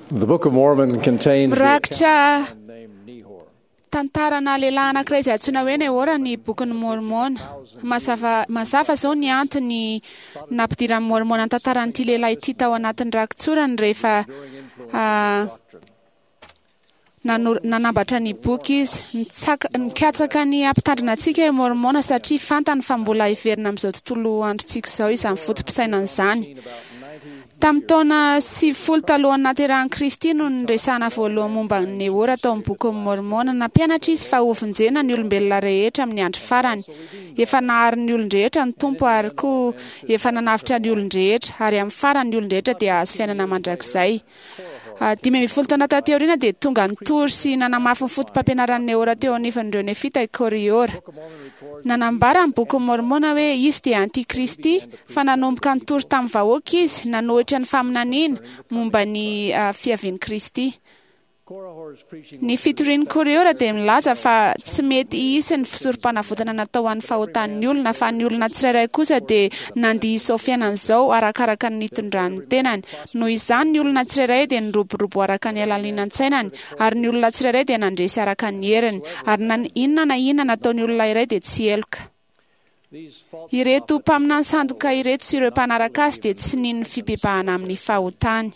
The Book of Mormon contains the Mirakitra account named Nehor. tantarana lehilahy anankiray izay antsoina hoe Nehora ny bokin'ny Môrmôna. Mazava mazava izao ny antony nampidiran'ny Môrmôna ny tantaran'ity lehilahy ity tao anatin'ny rakitsorany rehefa nano- nanambatra ny boky izy. Nitsaka- nikatsaka ny hampitandrina antsika i Môrmôna satria fantany fa mbola hiverina amin'izao tontolo androntsika izao izany foto-pisainana izany. Tamin'ny taona 90 talohan'ny nahaterahan'i Kristy no niresahana voalohany momba an'i Nehora tao amin'ny bokin'i Môrmôna. Nampianatra izy fa hovonjena ny olombelona rehetra amin'ny andro farany. Efa nahary ny olon-drehetra ny Tompo ary koa efa nanavotra ny olon-drehetra, ary amin'ny farany ny olon-drehetra dia hahazo fiainana mandrakizay. 15 taona taty aoriana dia tonga nitory sy nanamafy ny fotopampianaran'i Nehora teo anivon'ireo Nefita i Kôrihôra. Nanambara ny bokin'i Môrmôna hoe izy dia antikristy, fa nanomboka nitory tamin'ny vahoaka izy, nanohitra ny faminaniana momba ny fiavian'i Kristy. Korihor's preaching Ny fitorian'i Kôrihôra dia milaza fa tsy mety hisy ny fisorom-panavotana natao ho an'ny fahotan'ny olona, fa ny olona tsirairay kosa dia nandia izao fiainana izao arakaraka ny nitondrany ny tenany. Noho izany, ny olona tsirairay dia niroborobo araka ny halalinan-tsainany, ary ny olona tsirairay dia nandresy araka ny heriny, ary na inona na inona nataon'ny olona iray dia tsy heloka. These false Ireto mpaminany sandoka ireto sy ireo mpanaraka azy dia tsy nino ny fibebahana amin'ny fahotany.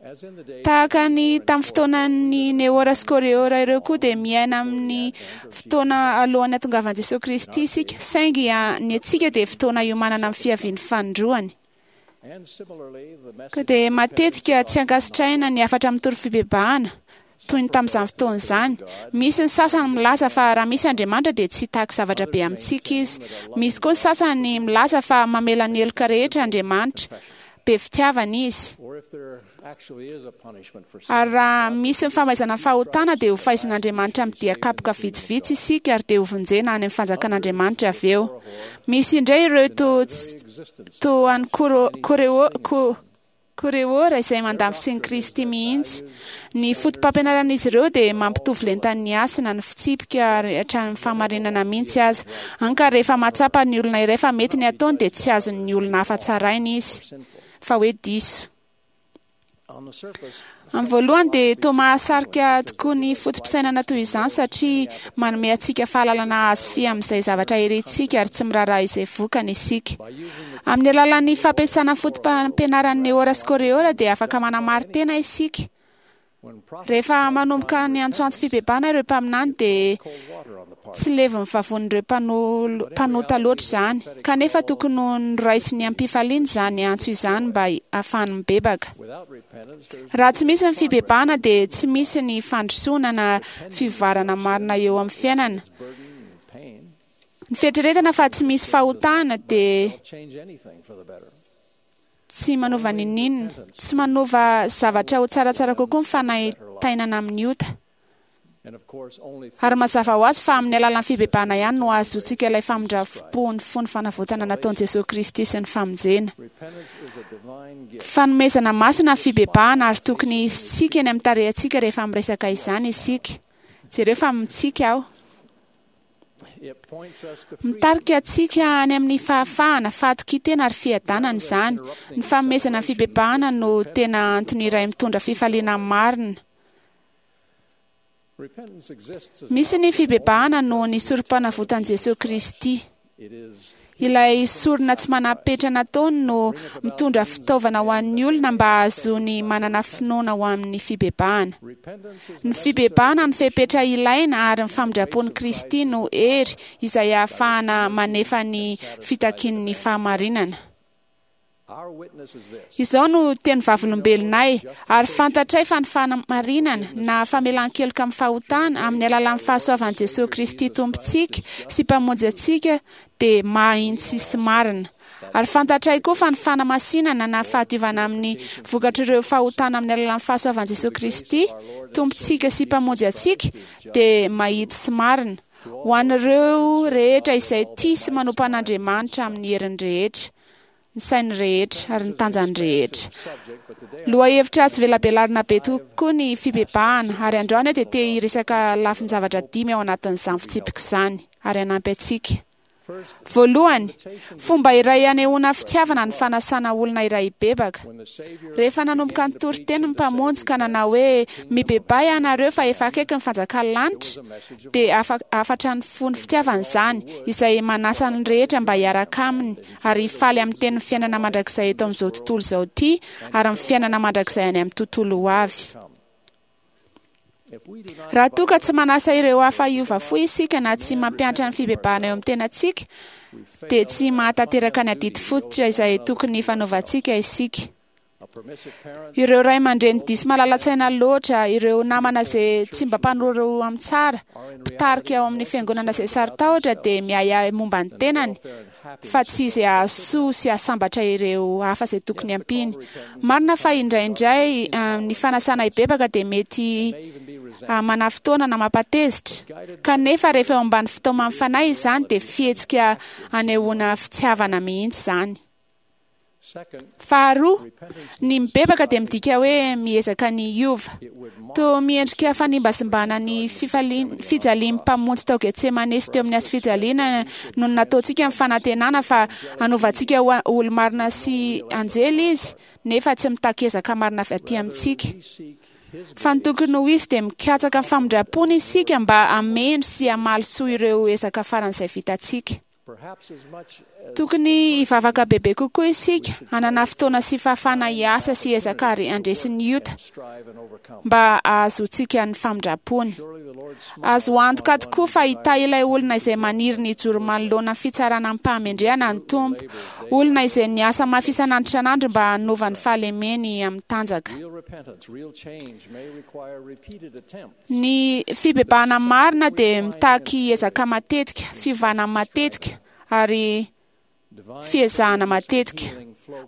as in the days Tahaka ny tamin'ny fotoanan'ny Nehora sy Kôrihôra ireo koa dia miaina amin'ny fotoana alohan'ny hatongavan'i Jesoa Kristy isika, saingy ny antsika dia fotoana iomanana amin'ny fiavian'ny fanindroany. and similarly the Ka message dia matetika tsy ankasitrahina ny hafatra mitory fibebahana toy ny tamin'izany fotoana izany. Misy ny sasany milaza fa raha misy Andriamanitra dia tsy hitaky zavatra be amintsika izy. Misy koa ny sasany milaza fa mamela ny heloka rehetra Andriamanitra, be fitiavana izy. or if there actually is a punishment for sin Ary raha misy ny famaizana fahotana dia ho faizin'Andriamanitra amin'ny dia kapoka vitsivitsy isika ary dia hovonjena any amin'ny fanjakan'Andriamanitra avy eo. Misy indray ireo to existence toa an'i Koro- Koreo- Ko- Koreora izay mandà ny fisian'i Kristy mihitsy. Ny fotopampianaran'izy ireo dia mampitovy lentan'ny hasina, ny fitsipika ary hatramin'ny fahamarinana mihitsy aza. Hany ka rehefa mahatsapa ny olona iray fa mety ny ataony dia tsy azon'ny olona hafa tsaraina izy, fa hoe diso. on the surface Amin'ny voalohany dia toa mahasarika tokoa ny foto-pisainana toy izany satria manome antsika fahalalana azo fy amin'izay zavatra irintsika ary tsy miraharaha izay vokany isika. by using the Amin'ny alalan'ny fampiasana fotopampianaran'ny Nehora sy Kôrihôra dia afaka manamari-tena isika. when prophets Rehefa manomboka ny antsoantso fibebahana ireo mpaminany dia cold water on the part tsy levon'ny vavonin'ireo mpanota loatra izany. Kanefa tokony ho noraisiny am-pifaliana izany antso izany mba hahafahany mibebaka. without repentance there's Raha tsy misy ny fibebahana dia tsy misy ny fandrosoana na fivoarana marina eo amin'ny fiainana. burden and pain Ny fieritreretana fa tsy misy fahotana dia don't change anything for the better tsy manova n'inon'inona, tsy manova zavatra ho tsaratsara kokoa ny fanaintainana amin'ny ota. and of course only through Ary mazava ho azy fa amin'ny alalan'ny fibebahana ihany no ahazoantsika ilay famindram-po ny fo ny fanavotana nataon'i Jesoa Kristy sy ny famonjena. repentance is a divine gift Fanomezana masina ny fibebahana ary tokony hisitsika eny amin'ny tarehantsika rehefa miresaka izany isika. Jereo fa mitsika aho. it points us to freedom Mitarika antsika any amin'ny fahafahana, fahatokian-tena ary fiadanana izany. Ny fanomezana ny fibebahana no tena antony iray mitondra fifaliana marina. repentance exists as Misy ny fibebahana noho ny sorom-panavotan'i Jesoa Kristy. it is Ilay sorona tsy manam-petra nataony no mitondra fitaovana ho an'ny olona mba hahazoany manana finoana ho amin'ny fibebahana. repentance is Ny fibebahana no fepetra ilaina ary ny famindram-pon'i Kristy no hery izay ahafahana manefa ny fitakian'ny fahamarinana. our witness is this Izao no teny vavolombelonay ary fantatray fa ny fahamarinana na famelan-keloka amin'ny fahotana amin'ny alalan'ny fahasoavan'i Jesoa Kristy Tompontsika sy Mpamonjy antsika dia mahitsy sy marina. Ary fantatray koa fa ny fanamasinana na fahadiovana amin'ny vokatr'ireo fahotana amin'ny alalan'ny fahasoavan'i Jesoa Kristy Tompontsika sy Mpamonjy antsika dia mahitsy sy marina ho an'ireo rehetra izay tia sy manompo an'Andriamanitra amin'ny heriny rehetra, ny sainy rehetra ary ny tanjany rehetra. subject but today Lohahevitra azo velabelarina be tokoa ny fibebahana ary androany aho dia te hiresaka lafin-javatra dimy ao anatin'izany fitsipika izany ary hanampy antsika. Voalohany, fomba iray anehoana fitiavana ny fanasana olona iray hibebaka. Rehefa nanomboka nitory teny ny Mpamonjy ka nanao hoe, Mibebaha ianareo fa efa akaiky ny fanjakan'ny lanitra, dia hafatra ny fony fitiavana izany, izay manasa ny rehetra mba hiaraka aminy ary hifaly amin'ny tenin'ny fiainana mandrakizay eto amin'izao tontolo izao ity ary ny fiainana mandrakizay any amin'ny tontolo ho avy. Raha toa ka tsy manasa ireo hafa hiova fo isika na tsy mampiantra ny fibebahana eo amin'ny tenantsika, dia tsy mahatanteraka ny adidy fototra izay tokony hifanaovantsika isika. Ireo ray aman-dreny diso malala-tsaina loatra, ireo namana izay tsy mba mpanoro amin'ny tsara, mpitarika ao amin'ny fiangonana izay saro-tahotra dia miahiahy momba ny tenany fa tsy izay hahasoa sy hahasambatra ireo hafa izay tokony hampiany. Marina fa indraindray ny fanasana hibebaka dia mety manafotoana na mampatezitra, kanefa rehefa eo ambany fitaoman'ny Fanahy izany dia fihetsika anehoana fitiavana mihitsy izany. Faharoa, ny mibebaka dia midika hoe miezaka ny hiova. Toa miendrika fanimbazimbana ny fijalian'ny Mpamonjy tao Getsemane sy teo amin'ny hazofijaliana no nataontsika ny fanantenana fa hanova antsika ho olo-marina sy anjely Izy, nefa tsy mitaky ezaka marina avy aty amintsika. Fa ny tokony ho izy dia mikatsaka ny famindram-pony isika mba hameno sy hamaly soa ireo ezaka faran'izay vitantsika. Tokony hivavaka bebe kokoa isika, hanana fotoana sy fahafahana hiasa sy hiezaka ary handresy ny ota, mba hahazoantsika ny famindram-pony. Azo antoka tokoa fa hitahy ilay olona izay maniry ny hijoro manoloana ny fitsarana amim-pahamendrehana ny Tompo, olona izay niasa mafy isan'andro isan'andro mba hanova ny fahalemeny amin'ny tanjaka. Ny fibebahana marina dia mitaky ezaka matetika, fiovana matetika, ary fiezahana matetika.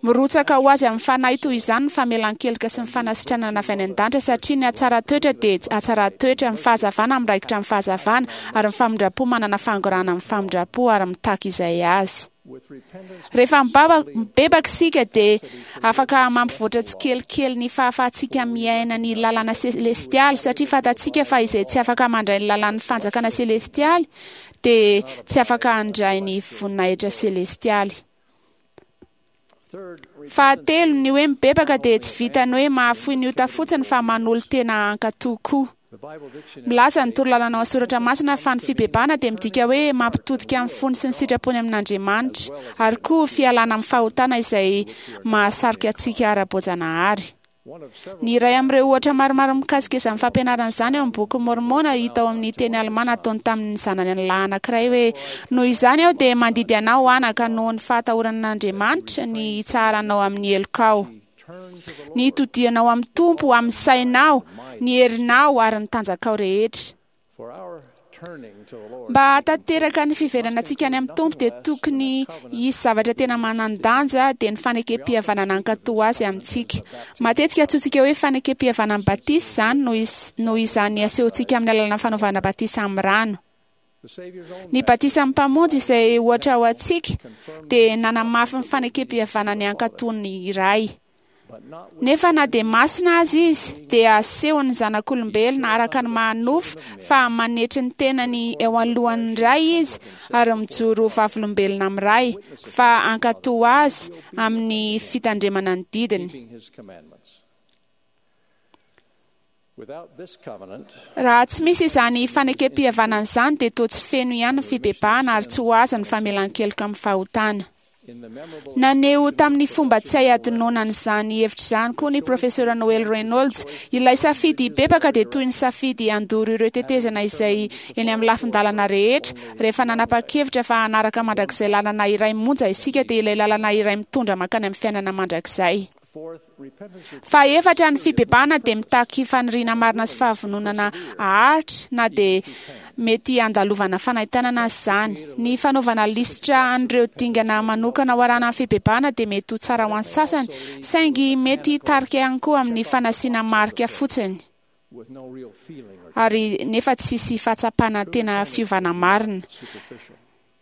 Mirotsaka ho azy amin'ny fanahy toy izany ny famelan-keloka sy ny fanasitranana avy any an-danitra, satria ny hatsaran-toetra dia hatsaran-toetra, ny fahazavana miraikitra amin'ny fahazavana, ary ny famindram-po manana fangorahana amin'ny famindram-po ary mitaky izay azy. Rehefa mibebaka isika dia afaka mampivoatra tsikelikely ny fahafahantsika miaina ny lalana selestialy, satria fantatsika fa izay tsy afaka mandray ny lalan'ny fanjakana selestialy dia tsy afaka handray ny voninahitra selestialy. Fahatelo, ny hoe mibebaka dia tsy vitan'ny hoe mahafoy ny ota fotsiny fa manolo-tena hankatò koa. Milaza ny torolalana ao amin'ny Soratra Masina fa ny fibebahana dia midika hoe mampitodika ny fony sy ny sitrapony amin'Andriamanitra, ary koa fialana amin'ny fahotana izay mahasarika antsika ara-boajanahary. Ny iray amin'ireo ohatra maromaro mikasika izany fampianarana izany ao amin'ny Bokin'i Môrmôna hita ao amin'ny teny alemà nataony tamin'ny zanany lahy anankiray hoe, Noho izany aho dia mandidy anao, anaka, noho ny fahatahorana an'Andriamanitra, ny hitsaharanao amin'ny helokao. Ny hitodihanao amin'ny Tompo amin'ny sainao, ny herinao ary ny tanjakao rehetra. Mba hahatanteraka ny fiverenantsika any amin'ny Tompo dia tokony hisy zavatra tena manan-danja dia ny fanekem-pihavanana hankatò Azy amintsika. Matetika antsointsika hoe fanekem-pihavanan'ny batisa izany noho izany asehontsika amin'ny alalan'ny fanaovana batisa amin'ny rano. Ny batisan'ny Mpamonjy izay ohatra ho antsika dia nanamafy ny fanekem-pihavanany hankatò ny Ray. Nefa na dia masina aza izy, dia asehon'ny zanak'olombelona araka ny maha-nofo fa manetry ny tenany eo anoloan'ny Ray izy ary mijoro ho vavolombelona amin'ny Ray fa hankatò azy amin'ny fitandremana ny didiny. Raha tsy misy izany fanekem-pihavanana izany dia toa tsy feno ihany ny fibebahana ary tsy ho azo ny famelan-keloka amin'ny fahotana. Naneho tamin'ny fomba tsy hay hadinoana an'izany hevitra izany koa ny Profesora Noel Reynolds. Ilay safidy hibebaka dia toy ny safidy handoro ireo tetezana izay eny amin'ny lafin-dalana rehetra. Rehefa nanapa-kevitra fa hanaraka mandrakizay lalana iray monja isika dia ilay lalana iray mitondra mankany amin'ny fiainana mandrakizay. Fahefatra, ny fibebahana dia mitaky faniriana marina sy fahavononana haharitra na dia mety handalovana fanaintainana aza izany. Ny fanaovana lisitra an'ireo dingana manokana ho arahana amin'ny fibebahana dia mety ho tsara ho an'ny sasany, saingy mety hitarika ihany koa amin'ny fanasiana marika fotsiny ary nefa tsy hisy fahatsapana tena fiovana marina.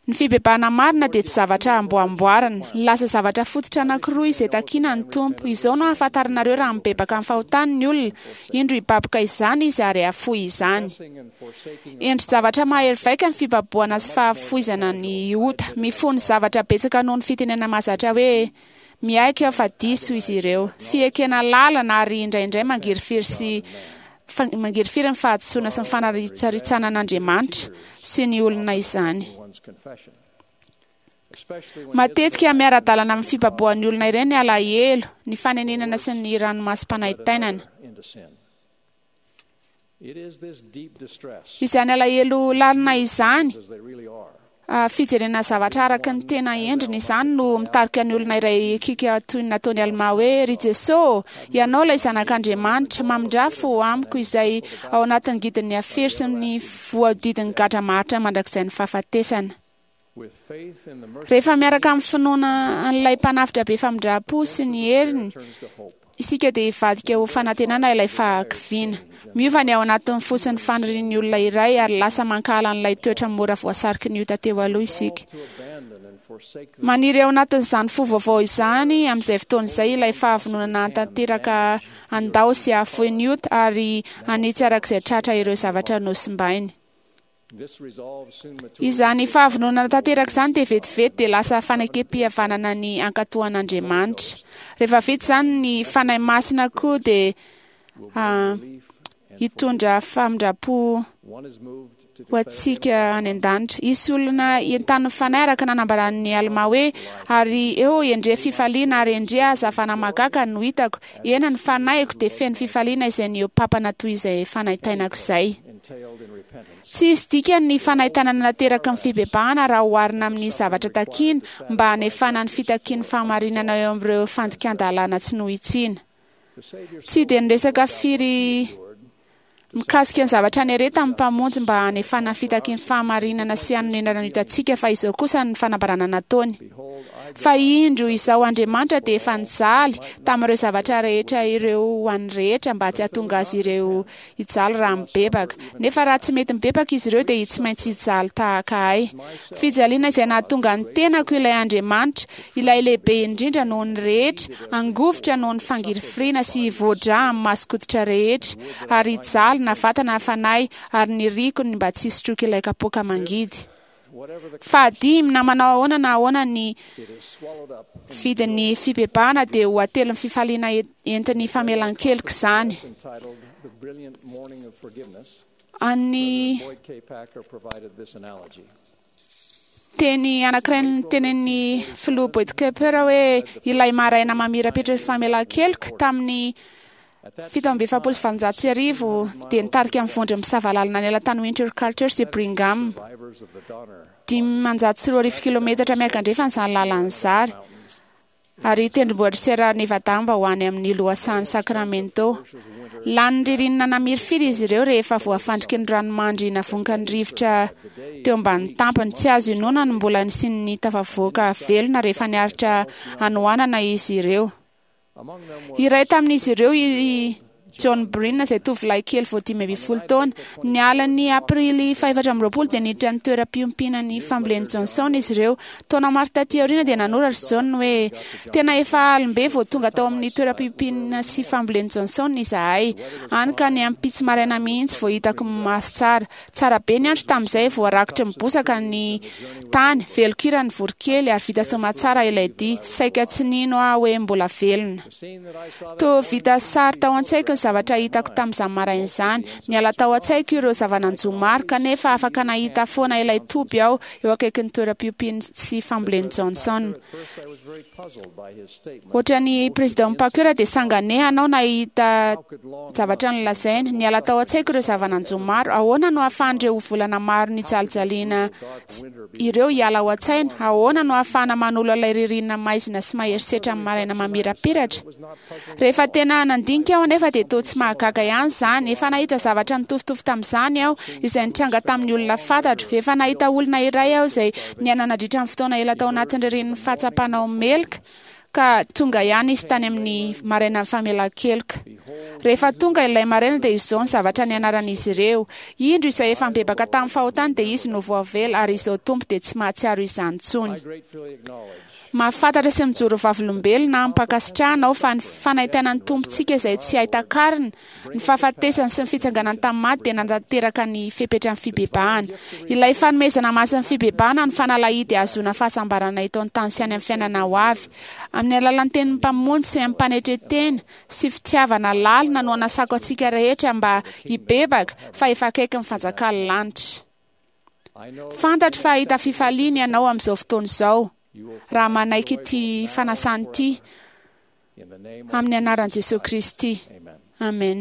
Ny fibebahana marina dia tsy zavatra amboamboarina. Nilaza zavatra fototra anankiroa izay takina ny Tompo. Izao no ahafantaranareo raha mibebaka amin'ny fahotany ny olona, indro hibaboka izany izy ary hahafoy izany. Endri-javatra mahery vaika ny fibabohana sy fahafoizana ny ota. Mifono zavatra betsaka noho ny fitenenana mahazatra hoe, Miaiky aho fa diso izy ireo. Fiekena lalina ary indraindray mangirifiry sy mangirifiry ny fahadisoana sy ny fanaritsaritsana an'Andriamanitra sy ny olona izany. Matetika miara-dalana amin'ny fibabohan'ny olona ireny ny alahelo, ny fanenenana sy ny ranomasom-panaintainana. Izany alahelo lalina izany, fijerena zavatra araka ny tena endriny izany no mitarika ny olona iray hikiaka toy ny nataon'i Almà hoe, Ry Jesoa ô, Ianao ilay Zanak'Andriamanitra, mamindrà fo amiko izay ao anatin'ny ngidin'ny afero sy ny voahodidin'ny gadra maharitra mandrakizain'ny fahafatesana. Rehefa miaraka amin'ny finoana an'ilay Mpanavotra be famindram-po sy ny heriny isika dia hivadika ho fanantenana ilay fahakiviana. Miova ny ao anatin'ny fo sy ny fanirian'ny olona iray ary lasa mankahala an'ilay toetra mora voasariky ny ota teo aloha isika. Maniry ao anatin'izany fo vaovao izany amin'izay fotoana izay ilay fahavononana hahatanteraka handao sy hahafoy ny ota ary hanitsy araka izay tratra ireo zavatra nosimbainy. Izany fahavononana tanteraka izany dia vetivety dia lasa fanekem-pihavanana ny hankatò an'Andriamanitra. Rehefa vita izany, ny Fanahy Masina koa dia hitondra famindram-po ho antsika any an-danitra. Hisy olona entanin'ny Fanahy araka nanambaran'ny Almà hoe, Ary eo endre fifaliana ary endre hazavana mahagaga no hitako, eny, ny fanahiko dia feno fifaliana izay nihoa-papana toy izay fanaintainako izay. Tsy hisy dikany ny fanaintainana nateraky ny fibebahana raha oharina amin'ny zavatra takiana mba hanefana ny fitakian'ny fahamarinana eo amin'ireo fandikan-dalàna tsy nohitsiana. Tsy dia niresaka firy mikasika ny zavatra niaretan'ny Mpamonjy mba hanefana ny fitakian'ny fahamarinana sy hanonenana ny otantsika fa izao kosa ny fanambarana nataony, Fa indro, Izaho Andriamanitra dia efa nijaly tamin'ireo zavatra rehetra ireo ho an'ny rehetra mba tsy hahatonga azy ireo hijaly raha mibebaka. Nefa raha tsy mety mibebaka izy ireo dia tsy maintsy hijaly tahaka ahy. Fijaliana izay nahatonga ny tenako ilay Andriamanitra, ilay lehibe indrindra noho ny rehetra, hangovitra noho ny fangirifiriana sy hivoa-drà amin'ny mason-koditra rehetra, ary hijaly na vatana na fanahy, ary niriko ny mba tsy hisotroako ilay kapoaka mangidy. Fahadimy, na manao ahoana na ahoana ny vidin'ny fibebahana dia ho atelin'ny fifaliana entin'ny famelan-keloka izany. An'ny teny anankiray nitenenin'ny filoha Boyd Kemper hoe ilay maraina mamirapiratra ny famelan-keloka tamin'ny 1847 dia nitarika ny vondron'ny mpisava lalana niala tany Winter Quarters i Brigham. 2500 kilometatra miankandrefana izany lalana izany, ary tendrombohitr'i Sierra Nevada mba ho any amin'ny lohasahan'i Sacramento. Lanin'ny ririnina namirifiry izy ireo rehefa voafandriky ny ranomandry navonkan'ny rivotra teo ambanin'ny tampony. Tsy azo inoana ny mbola nisian'ny tafavoaka velona rehefa niaritra hanoanana izy ireo. Iray tamin'izy ireo i John Breen izay tovolahy kely vao 15 taona. Ny alin'ny Aprily faha-24 dia niditra ny toeram-piompiana ny fambolen'i Johnson izy ireo. Taona maro taty aoriana dia nanoratra i John hoe, Tena efa alim-be vao tonga tao amin'ny toeram-piompiana sy fambolen'i Johnson izahay. Hany ka ny ampitso maraina mihitsy vao hitako maso tsara. Tsara be ny andro tamin'izay, voarakotry ny bozaka ny tany, velon-kira ny voronkely ary vita soamatsara ilay dihy. Saika tsy nino aho hoe mbola velona. Toa vita sary tao an-tsaiko ny zavatra hitako tamin'izany maraina izany. Niala tao an-tsaiko ireo zava-nanjo maro, kanefa afaka nahita foana ilay toby aho eo akaikin'ny toeram-piompiany sy fambolen'i Johnson. Ohatran'i Président Packer dia sanganehana aho nahita zavatra nolazainy. Niala tao an-tsaiko ireo zava-nanjo maro. Ahoana no ahafahan'ireo volana maro nijalijaliana ireo hiala ao an-tsaina? Ahoana no ahafahana manolo ilay ririnina maizina sy mahery setra amin'ny maraina mamirapiratra? Rehefa tena nandinika aho anefa dia toa tsy mahagaga ihany izany. Efa nahita zavatra nitovitovy tamin'izany aho, izay nitranga tamin'ny olona fantatro. Efa nahita olona iray aho izay niaina nandritra ny fotoana ela tao anatin'ny ririnin'ny fahatsapana ho meloka, ka tonga ihany izy tany amin'ny marainan'ny famelan-keloka. Rehefa tonga ilay maraina dia izao ny zavatra nianaran'izy ireo: Indro izay efa nibebaka tamin'ny fahotany dia izy no voavela, ary izao Tompo dia tsy mahatsiaro izany intsony. I gratefully acknowledge Mahafantatra sy mijoro vavolombelona amim-pankasitrahana aho fa ny fanaintainan'ny Tompontsika izay tsy hay takarina, ny fahafatesany sy ny fitsanganany tamin'ny maty dia nanatanteraka ny fepetran'ny fibebahana. Ilay fanomezana masin'ny fibebahana no fanalahidy hahazoana fahasambarana eto an-tany sy any amin'ny fiainana ho avy. Amin'ny alalan'ny tenin'ny Mpamonjy sy amim-panetren-tena sy fitiavana lalina no anasako antsika rehetra mba hibebaka fa efa akaiky ny fanjakan'ny lanitra. I know Fantatro fa hahita fifaliana ianao amin'izao fotoana izao you will raha find manaiky joy ity now fanasana ity in the name of amin'ny anaran'i Jesosy Kristy. Amen. Amen.